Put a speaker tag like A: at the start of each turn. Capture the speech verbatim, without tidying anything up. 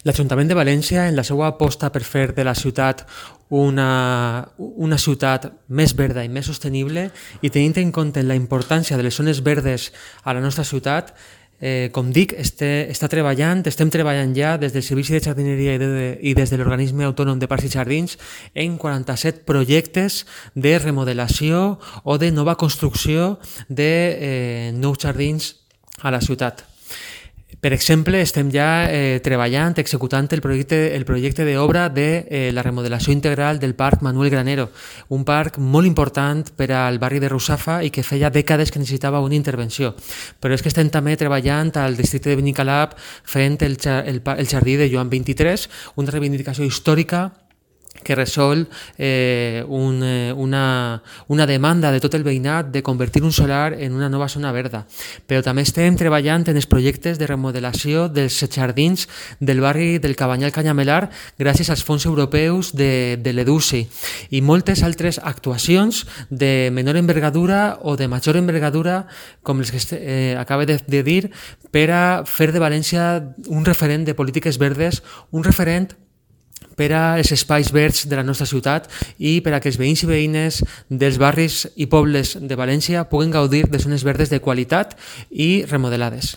A: L'Ajuntament de València, en la seva aposta per fer de la ciutat una, una ciutat més verda i més sostenible, i tenint en compte la importància de les zones verdes a la nostra ciutat, eh, com dic, este, està treballant, estem treballant ja des del Servici de Jardineria i, de, i des de l'Organisme Autònom de Parcs i Jardins en quaranta-set projectes de remodelació o de nova construcció de eh, nous jardins a la ciutat. Per exemple, estem ja eh, treballant, executant el projecte, el projecte d'obra de eh, la remodelació integral del Parc Manuel Granero, un parc molt important per al barri de Russafa i que feia dècades que necessitava una intervenció. Però és que estem també treballant al districte de Benicalap fent el, el, el jardí de Joan vint-i-tres, una reivindicació històrica que resol eh, un, eh, una, una demanda de tot el veïnat de convertir un solar en una nova zona verda. Però també estem treballant en els projectes de remodelació dels jardins del barri del Cabanyal Canyamelar gràcies als fons europeus de, de l'EDUSI i moltes altres actuacions de menor envergadura o de major envergadura, com les que eh, acabo de, de dir, per a fer de València un referent de polítiques verdes, un referent per als espais verds de la nostra ciutat i per a que els veïns i veïnes dels barris i pobles de València puguen gaudir de zones verdes de qualitat i remodelades.